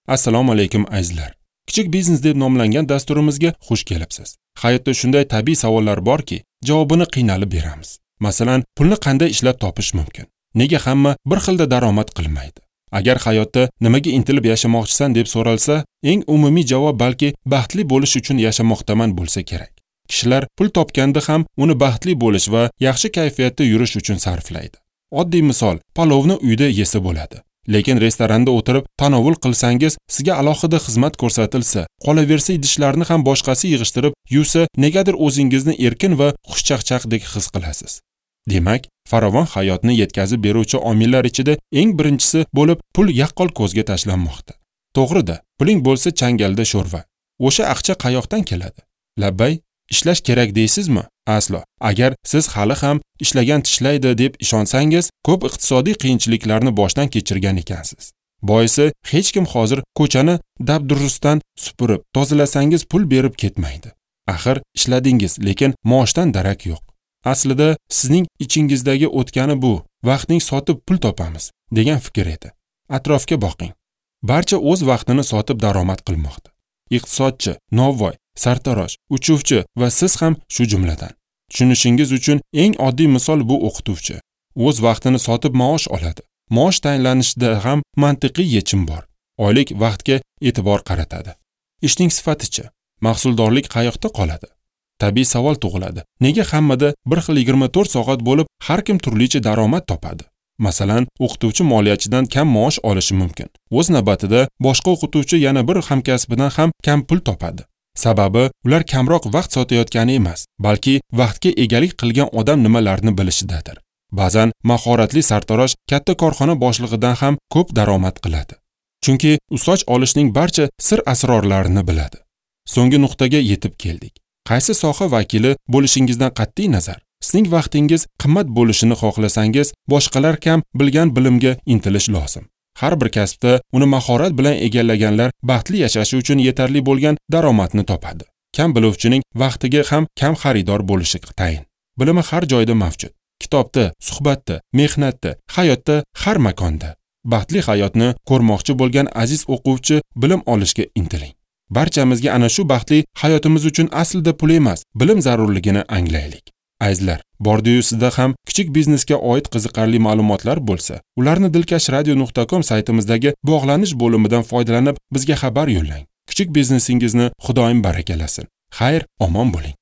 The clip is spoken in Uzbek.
Assalomu alaykum azizlar. Kichik biznes deb nomlangan dasturimizga xush kelibsiz. Hayotda shunday tabiiy savollar borki, javobini qiynalib beramiz. Masalan, pulni qanday ishlab topish mumkin? Nega hamma bir xilda daromad qilmaydi? Agar hayotda nimaga intilib yashamoqchisan deb so'ralsa, eng umumiy javob balki baxtli bo'lish uchun yashamoqdaman bo'lsa kerak. Kishilar pul topganda ham uni baxtli bo'lish va yaxshi kayfiyatda yurish uchun sarflaydi. Oddiy misol, palovni uyda yesa bo'ladi. Lekin restoranda o'tirib tanovul qilsangiz, sizga alohida xizmat ko'rsatilsa, qolaversa idishlarni ham boshqasi yig'ishtirib yuvsa, negadir o'zingizni erkin va xushchaqchaqdek his qilasiz. Demak, farovon hayotni yetkazib beruvchi omillar ichida eng birinchisi bo'lib pul yaqqol ko'zga tashlanmoqda. To'g'rida, puling bo'lsa changalda sho'rva. O'sha aqcha qayoqdan keladi? Labbay, ishlash kerak deysizmi? Aslo. Agar siz hali ham ishlagan tishlaydi deb ishonsangiz, ko'p iqtisodiy qiyinchiliklarni boshdan kechirgan ekansiz. Boisi, hech kim hozir ko'chani dabdurustdan supurib, tozalasangiz pul berib ketmaydi. Axir ishladingiz, lekin maoshdan darak yo'q. Aslida sizning ichingizdagi o'tgani bu, vaqtning sotib pul topamiz degan fikr edi. Atrofga boqing. Barcha o'z vaqtini sotib daromad qilmoqda. Iqtisodchi, novvoy, sartarosh, uchuvchi va siz ham shu jumladan. Tushunishingiz uchun eng oddiy misol bu o'qituvchi. O'z vaqtini sotib maosh oladi. Maosh tayinlanishida ham mantiqiy yechim bor. Oylik vaqtga e'tibor qaratadi. Ishning sifatichi, mahsuldorlik qayoqda qoladi? Tabiiy savol tug'iladi. Nega hammada bir xil 24 soat bo'lib, har kim turlicha daromad topadi? Masalan, o'qituvchi moliyachidan kam maosh olishi mumkin. O'z navbatida boshqa o'qituvchi yana bir hamkasbidan ham kam pul topadi. Sababi, ular kamroq vaqt sotayotgani emas, balki vaqtga egalik qilgan odam nimalarni bilishidadir. Ba'zan mahoratli sartarosh katta korxona boshlig'idan ham ko'p daromad qiladi. Chunki u soch olishning barcha sir asrorlarini biladi. So'nggi nuqtaga yetib keldik. Qaysi soha vakili bo'lishingizdan qat'iy nazar, sizning vaqtingiz qimmat bo'lishini xohlasangiz, boshqalar kam bilgan bilimga intilish lozim. Har bir kasbda uni mahorat bilan egallaganlar baxtli yashashi uchun yetarli bo'lgan daromadni topadi. Kam biluvchining vaqtiga ham kam xaridor bo'lishi tayin. Bilimi har joyda mavjud. Kitobda, suhbatda, mehnatda, hayotda, har makonda. Baxtli hayotni ko'rmoqchi bo'lgan aziz o'quvchi bilim olishga intiling. Barchamizga ana shu baxtli hayotimiz uchun aslida pul emas, bilim zarurligini anglaylik. Azizlar, bordiyu sizda ham kichik biznesga oid qiziqarli ma'lumotlar bo'lsa, ularni dilkashradio.com saytimizdagi bog'lanish bo'limidan foydalanib bizga xabar yo'llang. Kichik biznesingizni Xudoyim barakalasin. Xayr, omon bo'ling.